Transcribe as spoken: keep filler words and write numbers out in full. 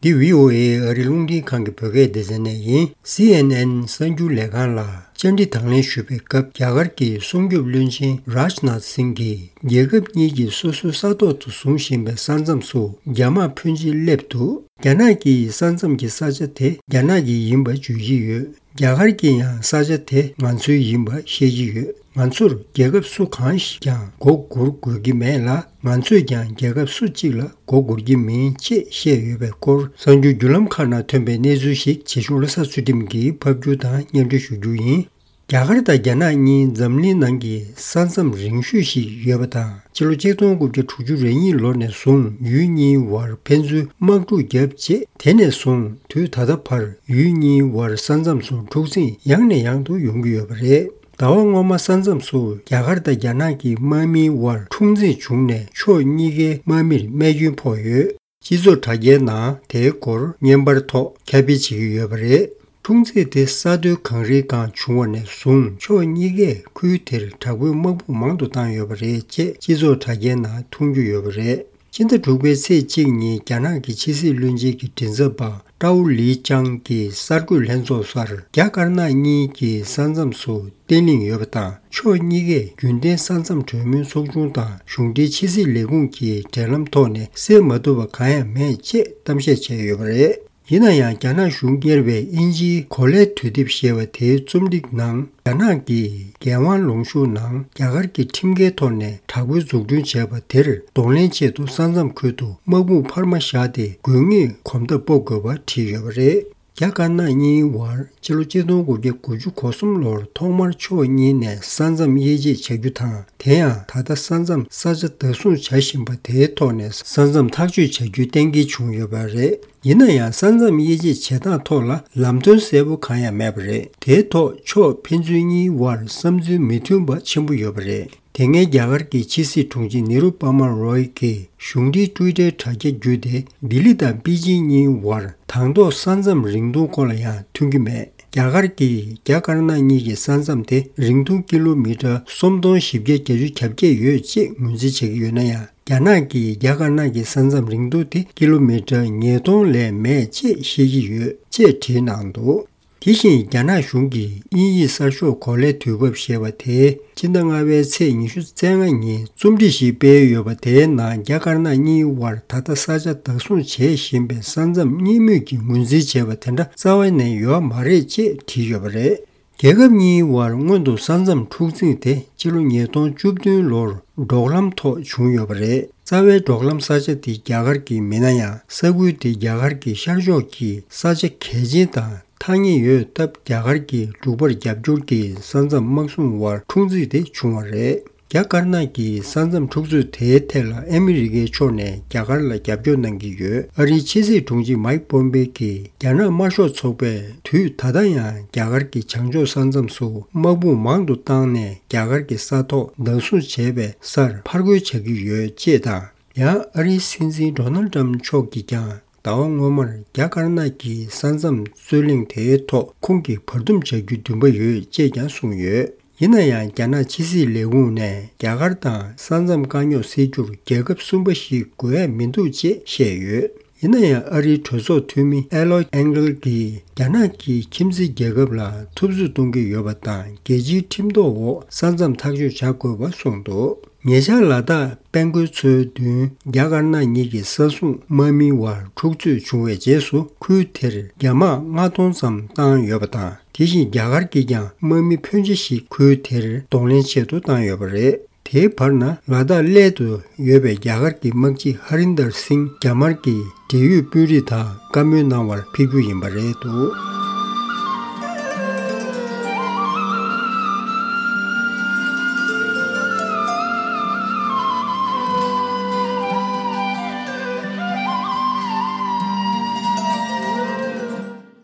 འདི་བྷི་ཨོ་ཨེ་ཨ་རིའི་རླུང་འཕྲིན་ཁང་གི་བོད་སྐད་སྡེ་ཚན་ནས་ཡིན། སི་ཨེན་ཨེན་གསར་འགྱུར་ལས་ཁང་ལ་བཅར་འདྲི་དང་ལེན་ཞུས་པའི་སྐབས། རྒྱ་གར་གྱི་སྲུང་སྐྱོབ་བློན་ཆེན་རཱཇ་ནཱཐ་སིང་གིས། རྒྱལ་ཁབ་གཉིས་ཀྱིས་སོ་སོའི་ས་ཐོག་ཏུ་བཟུང་བཞིན་པའི་ས་མཚམས་སུ་རྒྱ་དམག་ཕོན་ཆེ་སླེབས་འདུག་རྒྱ་ནག་གིས་ས་མཚམས་ཀྱི་ས་ཆ་དེ་རྒྱ་ནག་གི་ཡིན་པ་བརྗོད་ཀྱི་ཡོད། རྒྱ་གར་གྱིས་ཡང་ས་ཆ་དེ་ང་ཚོའི་ཡིན་པ་བཤད་ཀྱི་ཡོད། ང་ཚོར་རྒྱལ་ཁབ་སུ་གང་ཞིག་ཀྱང་མགོ་སྒུར་དགོས་ཀྱི་མེད་ལ། ང་ཚོས་ཀྱང་རྒྱལ་ཁབ་སུ་གཅིག་ལ་མགོ་སྒུར་གྱི་མིན་ཅེས་བཤད་ཡོད་པའི་སྐོར། གསར་འགྱུར་བརྒྱུད་ལམ་ཁག་ནང་ཐོན་པའི་གནས་ཚུལ་ཞིག་བྱེད་ཤུགས་བློ་བཟང་ཚུལ་ཁྲིམས་ཀྱིས་ཕབ་སྒྱུར་དང་སྙན་སྒྲོན་ཞུ་རྒྱུ་ཡིན། རྒྱ་གར་དང་རྒྱ་ནག་གཉིས་འཛམ་གླིང་ནང་གི་ས་མཚམས་རིང་ཤོས་ཤིག་ཡོད་པ་དང་། ཕྱི་ལོ་ཆིག་སྟོང་དགུ་བརྒྱ་དྲུག་ཅུ་རེ་གཉིས་ལོ་ནས་བཟུང་ཡུལ་གཉིས་བར་ཕན་ཚུན་དམག་འཁྲུག་བརྒྱབ་རྗེས། དེ་ནས་བཟུང་དུས་ད་ལྟ་བར་ཡུལ་གཉིས་བར་ས་མཚམས་སུ་འཁྲུག་འཛིང་ཡང་ནས་ཡང་དུ་ཡོང་གི་ཡོད་པ་རེད། ཟླ་བ་སྔོན་མ་ས་མཚམས་སུ་རྒྱ་གར་དང་རྒྱ་ནག་གི་དམག་མིའི་དབར་འཁྲུག་འཛིང་བྱུང་ནས་ཕྱོགས་གཉིས་ཀའི་དམག་མིར་རྨས་སྐྱོན་ཕོག་ཡོད། སྤྱི་ཚོགས་དྲ་རྒྱའི་ནང་དེའི་སྐོར་བརྙན་པར་ཐོག་ཁྱབ་སྤེལ་བྱེད་ཀྱི་ཡོད་པ་རེད། འཁྲུག་འཛིང་དེ་ས་མཐོའི་གངས་རིའི་སྒང་བྱུང་བ་ནས་བཟུང་ཕྱོགས་གཉིས་ཀས་ཁུལ་དེར་དྲག་པོའི་དམག་དཔུང་མང་དུ་བཏང་ཡོད་པ་རེད་ཅེས་སྤྱི་ཚོགས་དྲ་རྒྱའི་ནང་མཐོང་རྒྱུ་ཡོད་པ་རེད། ཕྱི་ཟླ་དྲུག་པའི་ཚེས་གཅིག་ཉིན་རྒྱ་ནག་གི་ཕྱི་སྲིད་བློན་ཆེན་གྱི་མགྲིན་ཚབ་པ་ཀྲའོ་ལི་ཅང་གིས་གསར་འགོད་ལྷན་ཚོགས་སར་རྒྱ་དཀར་ནག་གཉིས་ཀྱི་ས་མཚམས་སུ་བརྟན་ལྷིང་ཡོད་པ་དང་། ཕྱོགས་གཉིས་ཀས་རྒྱུན་ལྡན་ས་མཚམས་གྲོས་མོལ་ཚོགས་ཆུང་དང་གཞུང་འབྲེལ་ཕྱི་སྲིད་ལས་ཁུངས་ཀྱི་འབྲེལ་ལམ་ཐོག་ནས་སེལ་མ་ཐུབ་པ་གང་ཡང་མེད་ཅེས་གཏམ་བཤད་བྱས་ཡོད་པ་རེད། ཡིན་ན་ཡང་། རྒྱ་ནག་གཞུང་གཉེར་བའི་དབྱིན་ཇིའི་གོ་ལའི་དུས་དེབ་ཞེས་པ་དེའི་རྩོམ་སྒྲིག་ནང་། རྒྱ་ནག་གིས་རྒྱལ་དབང་ལུང་ཤུར་ནང་རྒྱ་གར་གྱི་ཁྲིམས་འགལ་ཐོག་ནས་དྲག་པོའི་འཛུགས་སྐྲུན་བྱས་པ་དེར་གདོང་ལེན་ཆེད་དུ་ས་མཚམས་ཁུལ་དུ་དམག་དཔུང་འཕར་མ་བཞག་སྟེ། དགོས་ངེས་གོམ་སྟབས་སྤོ་དགོས་པ་བྲིས་ཡོད་པ་རེད། རྒྱ་དཀར་ནག་གཉིས་བར་ཕྱི་ལོ་ཆིག་སྟོང་དགུ་བརྒྱ་དགུ་ཅུ་གོ་གསུམ་ལོར་ཐོག་མར་ཕྱོགས་གཉིས་ནས་ས་མཚམས་དབྱེ་འབྱེད་བྱ་རྒྱུ་དང་། དེ་ཡང་ད་ལྟ་ས་མཚམས་ས་ཆ་བདག་བཟུང་བྱ་བཞིན་པ་དེའི་ཐོག་ནས་ས་མཚམས་ཐག་གཅོད་བྱ་རྒྱུའི་གཏན་འཁེལ་བྱུང་ཡོད་པ་རེད། ཡིན་ན་ཡང་། ས་མཚམས་དབྱེ་འབྱེད་བྱེད་སྟངས་ཐོག་ལ་ལམ་སྟོན་གསལ་པོ་གང་ཡང་མེད་པ་རེད། དེའི་ཐོག་ཕྱོགས་ཕན་ཚུན་གཉིས་བར་བསམ་ཚུལ་མི་མཐུན་པ་ཆེན་པོ་ཡོད་པ་རེད། དེ་སྔའི་རྒྱ་གར་གྱི་ཕྱི་སྲིད་དྲུང་ཆེ་ནེ་རུ་པ་མ་རོའི་གིས་གཞུང་འབྲེལ་ཊུའི་ཊར་དྲ་རྒྱ་བརྒྱུད་དེ། ལྡི་ལི་དང་པེ་ཅིང་གཉིས་བར་དང་ཐོག་ས་མཚམས་རིང་ཐུང་སྐོར་ལ་ཡང་མཐུན་གྱི་མེད། རྒྱ་གར་གྱིས་རྒྱ་དཀར་ནག་གཉིས་ཀྱི་ས་མཚམས་དེ་རིང་ཐུང་ཀི་ལོ་མི་ཊར་སུམ་སྟོང་བཞི་བརྒྱ་བརྒྱད་ཅུ་གྱ་བརྒྱད་ཡོད་ཅེས་ངོས་འཛིན་བྱེད་ཀྱི་ཡོད་ན་ཡང་། རྒྱ་ནག་གིས་རྒྱ་དཀར་ནག་གི་ས་མཚམས་རིང་ཐུང་དེ་ཀི་ལོ་མི་ཊར་ཉིས་སྟོང་ལས་མེད་ཅེས་བཤད་ཀྱི་ཡོད་ཅེས་བྲིས་གནང་འདུག་དེ་བཞིན་རྒྱ་ནག་གཞུང་གིས་དབྱིན་ཡིག་གསར་ཤོག་གོ་ལའི་དུས་བབ་ཞེས་པ་དེ་ཕྱི་ཟླ་ལྔ་པའི་ཚེས་ཉི་ཤུ་རྩ་ལྔ་ཉིན་རྩོམ་སྒྲིག་ཞིག་སྤེལ་ཡོད་པ། དེའི་ནང་རྒྱ་དཀར་ནག་གཉིས་དབར་ད་ལྟ་ས་ཆ་བདག་བཟུང་བྱེད་བཞིན་པའི་ས་མཚམས་གཉིས་མོས་ཀྱིས་ངོས་འཛིན་བྱས་པ་དེ་འདྲ་རྩ་བ་ནས་ཡོད་མ་རེད་ཅེས་བྲིས་ཡོད་པ་རེད། རྒྱལ་ཁབ་གཉིས་དབར་སྔོན་དུ་ས་མཚམས་འཁྲུག་འཛིང་དེ་ཕྱི་ལོ་ཉིས་སྟོང་བཅུ་བདུན་ལོར་འབྲོག་ལམ་ཐོག་བྱུང་ཡོད་པ་རེད། རྩ་བའི་འབྲོག་ལམ་ས་ཆ་དེ་རྒྱ་གར་གྱི་མིན་ན་ཡང་། ས་ཁུལ་དེ་རྒྱ་གར་གྱི་ཤར་ཕྱོགས་ཀྱི་ས་ཆ་གལ་ཆེན་དང་ཐག་ཉེ་ཡོད་སྟབས། རྒྱ་གར་གྱི་འབྲུག་པར་རྒྱབ་སྐྱོར་གྱིས་ས་མཚམས་དམག་སྲུང་དབར་འཁྲུག་འཛིང་དེ་བྱུང་བ་རེད། རྒྱ་དཀར་ནག་གི་ས་མཚམས་འཁྲུག་རྩོད་དེའི་ཐད་ལ་ཨ་མི་རི་ཀའི་ཕྱོགས་ནས་རྒྱ་གར་ལ་རྒྱབ་སྐྱོར་གནང་གི་ཡོད། ཨ་རིའི་ཕྱི་སྲིད་དྲུང་ཆེ་མཱིག་པོམ་པེ་གིས་རྒྱ་ནག་དམར་ཤོག་ཚོགས་པས་དུས་ད་ལྟ་ཡང་རྒྱ་གར་གྱི་བྱང་ཕྱོགས་ས་མཚམས་སུ་དམག་དཔུང་མང་དུ་བཏང་ནས་རྒྱ་གར་གྱི་ས་ཐོག་བདག་བཟུང་བྱས་པའི་སར་ཕར་རྒོལ་བྱ་གི་ཡོད་ཅེས་དང་། ཡང་ཨ་རིའི་སྲིད་འཛིན་ཌོ་ནལ་ཏྲམ་མཆོག་གིས་ཀྱང་ཟླ་བ་སྔོན་མར་རྒྱ་དཀར་ནག་གི་ས་མཚམས་རྩོད་གླེང་དེའི་ཐོག་ཁོང་གིས་བར་འདུམ་བྱ་རྒྱུའི་འདུན་པ་ཡོད་ཅེས་ཀྱང་གསུངས་ཡོད། ཡིན་ན་ཡང་། རྒྱ་ནག་ཕྱི་སྲིད་ལས་ཁུངས་ནས་རྒྱ་གར་དང་ས་མཚམས་དཀའ་རྙོག་སེལ་རྒྱུར་རྒྱལ་ཁབ་གསུམ་པ་ཞིག་དགོས་ཡ་མི་འདུག་ཅེས་བཤད་ཡོད། ཡིན་ན་ཡང་། ཨ་རིའི་གྲོས་ཚོགས་འཐུས་མི་ཨེ་ལོ་ཨེང་གལ་གྱིས་རྒྱ་ནག་གིས་ཁྱིམ་མཚེས་རྒྱལ་ཁབ་ལ་འཐབ་རྩོད་གཏོང་གི་ཡོད་པ་དང་། རྒྱལ་སྤྱིའི་ཁྲིམས་ཐོག་འོག་ས་མཚམས་ཐག་གཅོད་བྱ་དགོས་པ་གསུངས་འདུག་ཉེ་ཆར་ལ་དྭགས་དཔལ་མགོན་མཚོའི་མདུན་རྒྱ་དཀར་ནག་གཉིས་ཀྱི་ས་སྲུང་དམག་མིའི་དབར་འཁྲུག་རྩོད་བྱུང་བའི་རྗེས་སུ། ཁུལ་དེར་རྒྱ་དམག་ལྔ་སྟོང་ཙམ་བཏང་ཡོད་པ་དང་། དེ་བཞིན་རྒྱ་གར་གྱིས་ཀྱང་དམག་མི་ཕོན་ཆེ་ཞིག་ཁུལ་དེར་གདོང་ལེན་ཆེད་དུ་བཏང་ཡོད་པ་རེད། དེའི་བར་ན། ལ་དྭགས་སླད་དུ་ཡོད་པའི་རྒྱ་གར་གྱི་དམག་སྤྱི་ཧ་རིན་དར་སིང་རྒྱ་དམར་གྱི་འབྲེལ་ཡོད་དཔོན་རིགས་དང་བཀའ་མོལ་གནང་བར་ཕེབས་རྒྱུ་ཡིན་པ་རེད་འདུག